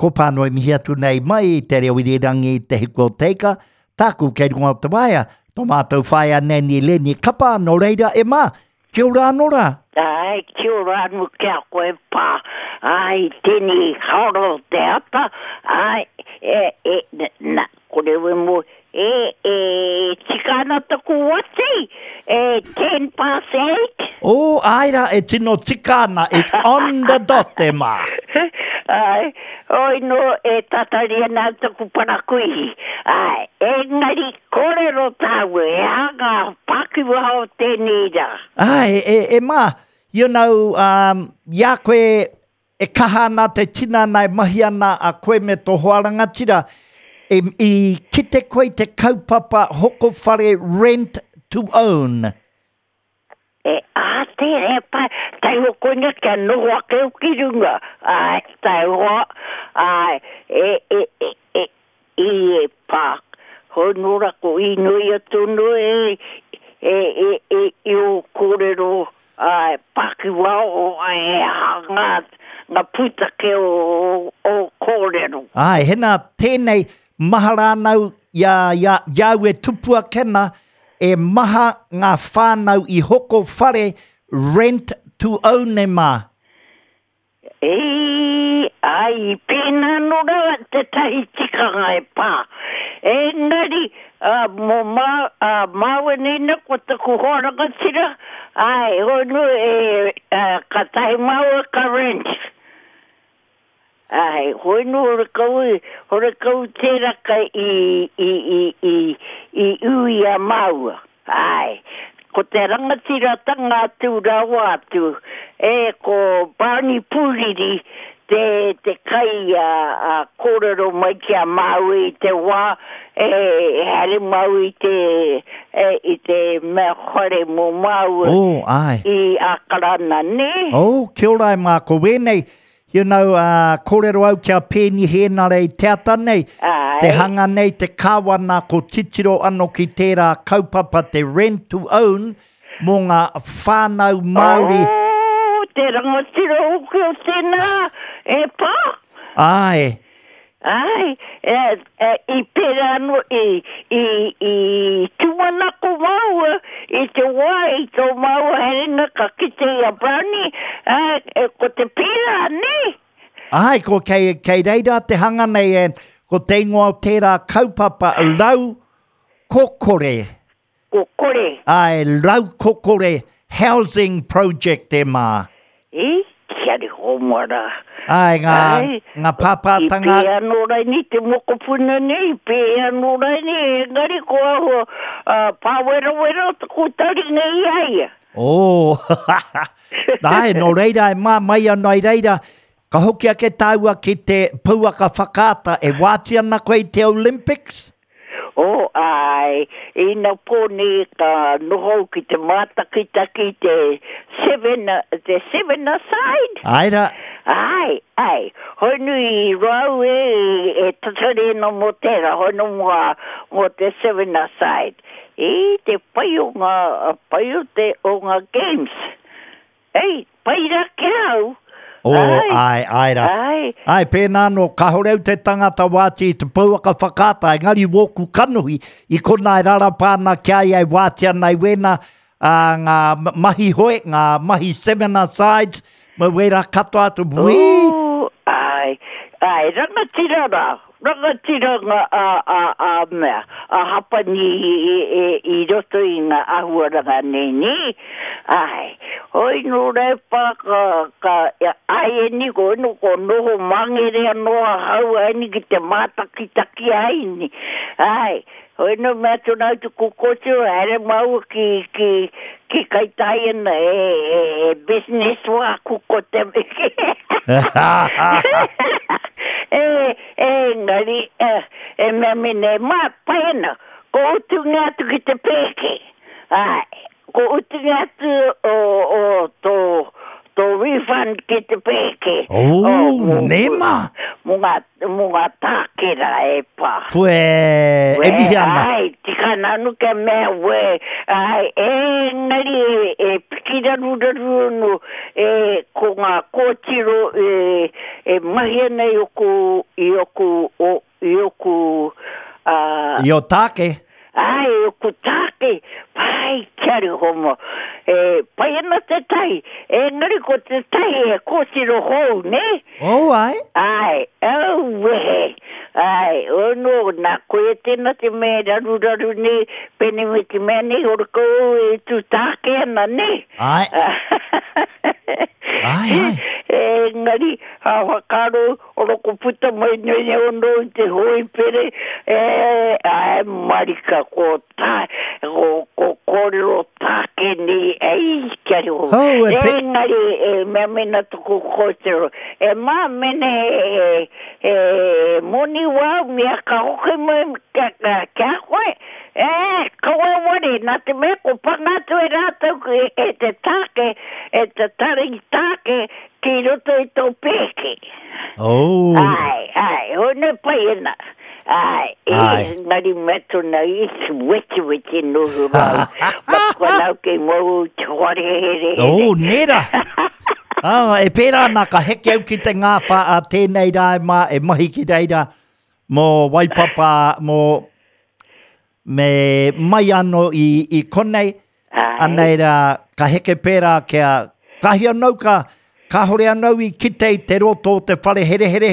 Ko Pānui mihi atu nei mai i te reo irirangi Te Hiku o Te Ika, tāku kei runga o te waea, tō mātou whaea Nanny Lenny Kapa, nō reira e mā, kia ora anō rā. Āe, kia ora anō ki a koe pā, āe, tēnei haora o te ata, āe, e, e, na, ko rewe mō, e, e, tika ana taku wati, e, ten past eight. Oh, āe rā, e tino tika ana, it's on the dot e mā. Āe, hoi nō e tatari ana taku parakuihi, āe, engari kōrero tāua, he aha ngā pākiwaha o tēnei rā? Āe, e, e mā, you know, um, i a koe e kaha ana te tinana e mahi ana a koe me tō hoa rangatira, e, i kite koe i te kaupapa hoko whare rent to own? E, ā, tērā e pai, taihoa koina kia noho ake au ki runga, āe, taihoa, āe, e, e, e, e, i e pā, hoi nō rā ko īnoia tonu e, e, e, e, i ō kōrero, āe, pākiwā o, e aha ngā, ngā pūtake o, o, ō kōrero. Āe, hena tēnei, mahara ana au i a, i a, i a au e tupu ake ana, E maha ngā whānau i hoko whare rent to own e mā. E, āe, i pēnā anō rā tētahi tikanga e pā. Engari, ā, mō mā, ā, māua nei nā, ko taku hoa rangatira, āe, hoi nō, e, ā, kātahi māua ka rent. Āe, hoi nō horekau, horekau tēraka i, i, i, i, i ū i a māua. Āe, ko te rangatiratanga atu rawa atu, e, ko Barney Pūriri te, te kai a, a kōrero mai ki a māua i te wā e, e haere māua i te, e, i te mea whare mō māua Oh, āe. i Ākarana, nē? Oh, kia ora e mā, ko wēnei, You know, uh, kōrero au ki a Peeni Hēnare i te ata nei, Aye. te hanga nei te kāwana ko titiro ano ki tērā kaupapa te rent to own mō ngā whānau Māori. Oh, te rangatira hoki o tēnā, e pā. Āe. Āe, e, e, i pērā anō, i, i, i tūmanako māua i te wā i tō māua haerenga ka kite i a Brownie, ā, e, ko te pērā, nē? Āe, ko kei, kei reira te hanga nei, and ko te ingoa o tērā kaupapa, Rau Kokore. Kokore. Āe, Raukokore Housing Project e mā. I, kia riho mara. Āe, ngā, Āe, ngā pāpātanga. I pēhea anō raini te mokopuna nei, i pēhea anō raini, engari ko ahua uh, pāwerawera o taku taringa i a ia. Oh, āe, nō reira e mā mai ana i reira, ka hoki ake tāua ki te pouaka whakaata, e wāti ana koe i te Olympics? Oh, āe, inapō nei ka noho au ki te mātakitaki i te seven, te seven-a-side. Āe rā. Āe, āe. Hoi nui i roa au e, e tatari ana mō tērā, hoi nō mō, mō te seven-a-side. I te pai o ngā, pai o te, o ngā games. Ei, pai ra ki a au. Oh, ai, ai, ai ra. Ai. Ai, pēnā anō, kāore au te tangata wāti i te pouaka whakaata, engari wōku kanohi, i konā e rarapa ana ki a ia e wāti ana i wēnā, ā, ngā mahi hoe, ngā mahi seminar sides, me wērā katoa atu, wī! Ooh, ai, ai, rangatira rā. Rangatira nga a a a mea, a Hapani i i i roto i nga ahuaranga nei ne, ae, hoi no repa ka ka aieni ko no ko noho mangere ano ahau aeni ki te matakitaki aeni, ae, hoi no mea atu na atu ko kotiro haere maua ki ki ki Kaitaia e e e business waku ko te e Engari, e mea mene, ma, pai ana, ko utunga atu ki te pēke. Āe, ko utunga atu o, o tō, Tō refund ki te pēke. Oh, nē mā. Mō ngā, mō ngā tākera e pā. Koe, e mihi ana. Ai, tika ana anu kia mea wē, ai, engari e, e piki raruraru anu, e, ko ngā kōtiro e, e mahi ana i oku, i oku, o, i oku, ā. I ō tāke. Āe, i oku tāke, pai kia homo. E, pai ana tētahi, engari ko tētahi he kōtiro hou, nē? Oh, āe. Āe, auwehe. Āe, ono, nā koia tēnā te mea e raruraru nei, pēnei me te mea nei, ora kouou e tū tāke ana, nē? Āe. Āe, āe. Engari, a whakaaro, Oro ko puta mai nei ono i te hoipere, e, ae marika ko ta, ko, ko kōrero tāke nei, ei, kia reo. Oh, e pe... Engari, e mea mena tuku kōtero, e mā mene he, he, he moni wau, mea ka hoki mai kia, kia, kia koe, e, kaua ware, nā te mea ko panga atu e rātou e, e te tāke, e te tari tāke, Ki roto i tō pēke. Oh. Ai, ai, hone pai ana. Ai, e, engari mea tona i weti weti no rau. Ma kua ke mau te whare here here. Oh, nera. Ah, e pērā ana ka heke au ki te ngāwhā a tēnei rā e mā, e mahi ki reira mō Waipapa, mō me mai anō i, i konei, anei rā, ka heke pērā kia, kahi anau ka, kāhore anau i kite i te roto o te whare herehere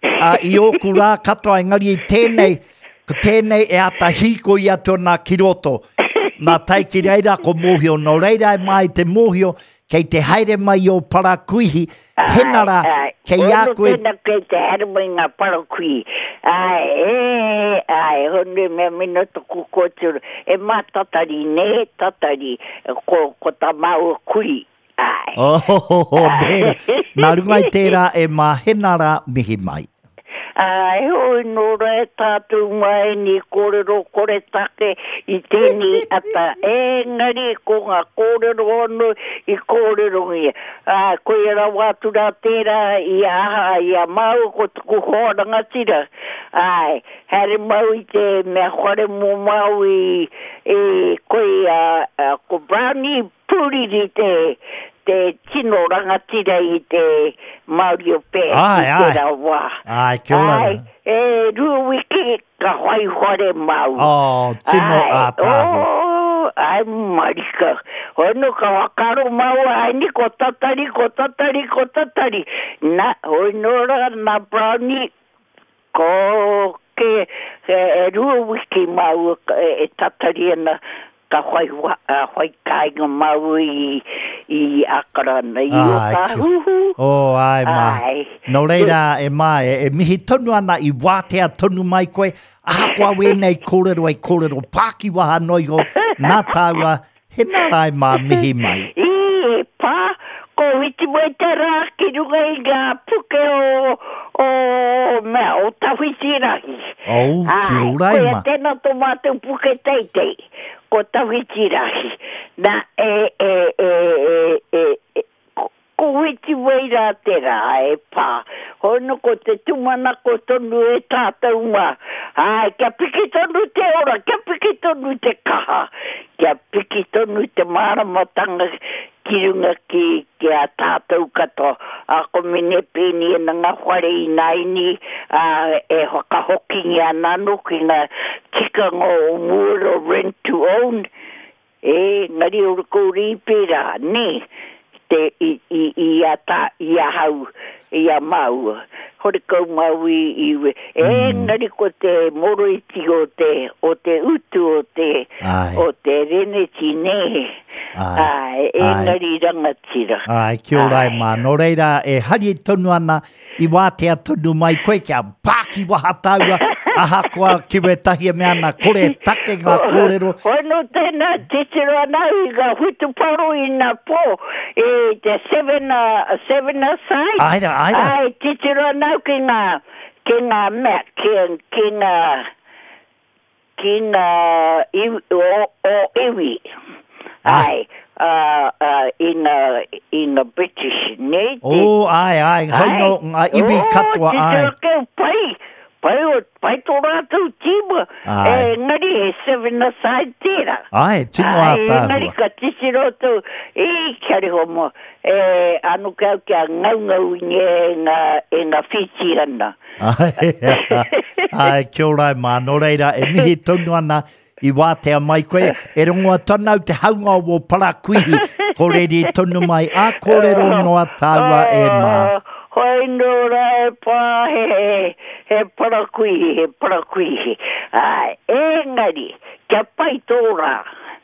a, i ōku rā katoa, engari i tēnei, ko tēnei e āta hīkoi atu ana ki roto. Nā tae ki reira ko mōhio, nō reira e mai te mōhio, Kei te haere mai ō parakuihi, hena rā, kei a koe. Ono tēnā kei te haere mai ngā parakuihi. Āe, e, āe, hone mea mena toku kōtiro. E mā tatari, nē, tatari, ko, ko tā māua kui, āe. Oh, nē rā. Nā runga i tērā e mā, hena rā, mihi mai. Ā, heoi nō rā e tātou mā ēnei kōrero koretake i tēnei ata, engari ko ngā kōrero anō i kōrerongia. Ā, koia rawa atu rā tērā i a aha, i a māua ko taku hoa rangatira, āe, haere mau i te mea whare mō Māui, i, koia, ko Brownie Pūriri te, te tino rangatira i te Māori o Pē i tērā wā. Āe, kia ora. Āe, e rua wiki ka whai whare māua. Oh, tino ātaahua. Oh, āe marika. Hoi nō ka whakaaro māua, āe ni ko tatari, ko tatari, ko tatari. Na, hoi nō rā, nā Brownie, ko ke, e rua wiki māua e tatari ana Ka whai, whai kāinga māua i, i Ākarana, i Ōtāhuhu. Oh, āe mā. Āe. Nō reira, e mā, e, e mihi tonu ana i wātea tonu mai koe, ahakoa wēnei kōrero e kōrero pākiwaha noa iho, nā tāua, hena rā e mā, mihi mai. I, e pā, ko whiti mai te rā ki runga i ngā puke o, o, mea, o Tawhitirahi. Oh, ki ora e ma. Koia tēnā tō mātou puke teitei, ko Tawhitirahi. Nā, e, e, e, e, e, e, ko, ko whiti mai rā te rā e pā. Hono ko te tūmanako tonu e tātou mā. Āe, kia piki tonu te ora, kia piki tonu te kaha, kia piki tonu te māramatanga ki runga ki, ki a tātou katoa. Ā, ko Mene Pēni ana ngā whare ināianei, ā, e whakahokingia ana anō ki ngā tikanga o mua o rent to own, e, engari ora kore i pērā, nē, te, i, i, i a tā, i ahau, i a māua. Horekau māua i, i, engari ko te moroiti o te, o te utu o te, o te reneti, nē. Āe, engari rangatira. Āe, kia ora e mā. Nō reira, e hari tonu ana, i wātea tonu mai koe kia pākiwaha tāua, ahakoa ki wētahi e mea ana, kore take ngā kōrero. Hoi nō tēnā, titiro ana au i ngā whutuparo i nā pō, i te seven, seven a side. Āe rā, āe rā. Āe, titiro ana au ki ngā, ki ngā mea, ki, ki ngā, Ki ngā iwi, o, o iwi. Ai, ā, ā, i ngā, i ngā British, nē? Te... Oh, ai, ai, hoi no, ngā iwi katoa, ai. Oh, titiro pai, pai, o, pai tō rātou tīma, engari he seven-a-side tērā. Ai, tino ātaahua. Engari ka titiro atu, i, kia reho mo, e, ano ke au kia ngaungau i e ngā, e ngā Whītīana. Ai, ai, kia ora e mā, nō reira, e mihi tonu ana I wātea mai koe, e rongo atu ana au te haunga o wō parakuihi, ko reri tonu mai, ā kōrero noa tāua e mā. Hoi nō rā e pā he, he parakuihi, he parakuihi. Āe, engari, kia pai tō rā.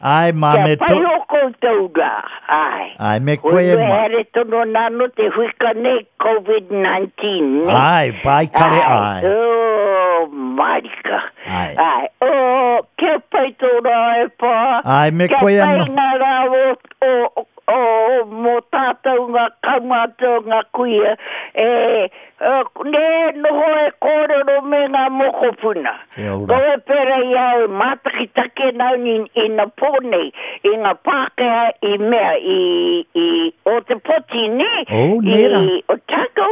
Āe mā, me tō. Kia pai ō koutou rā, āe. Āe, me koe e mā. Hoi haere tonu ana anō te huika nei, Covid-19, nē? Āe, pai kare āe. Āe, oh, mārika. Āe. Āe. Oh, kia pai tō rā e pā. Āe, me koe anō. Kia pai ngā rā o, o, o, mō tātou ngā kaumātua, ngā kuia, e, nē, noho e kōrero me ngā mokopuna. Kia ora. Kaua pērā i a au e mātakitaki ana au i, i na pō nei, i ngā Pākehā i mea, i, i Ōtepoti, nē? Oh, nē rā. I Otago.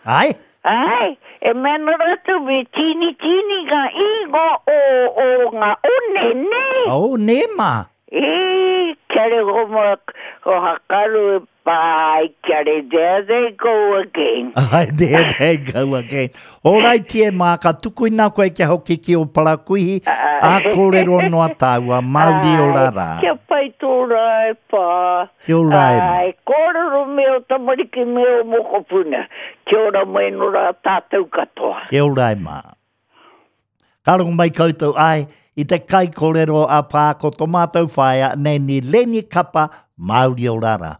Āe. Āe, e mea ana rātou me tīnitīni ngā ingoa o, o ngā one, nē? Oh, nē mā. E, kia reo ma, ko Hakaru e pā, kia re, there they go again. Ai, there they go again. Ōraiti e mā, ka tukuina koe kia hoki ki o Parakuihi, ā kōrero noa tāua, Māori ora rā. Kia pai tō rā e pā. Kia ora e mā. Āe, kōrero me ō tamariki me ō mokopuna. Kia ora mai no rā tātou katoa. Kia ora e mā. Ka rongo mai koutou, āe, i te kaikōrero a Pā ko tō mātou whaea, Nanny Lenny Kapa, Māori ora rā.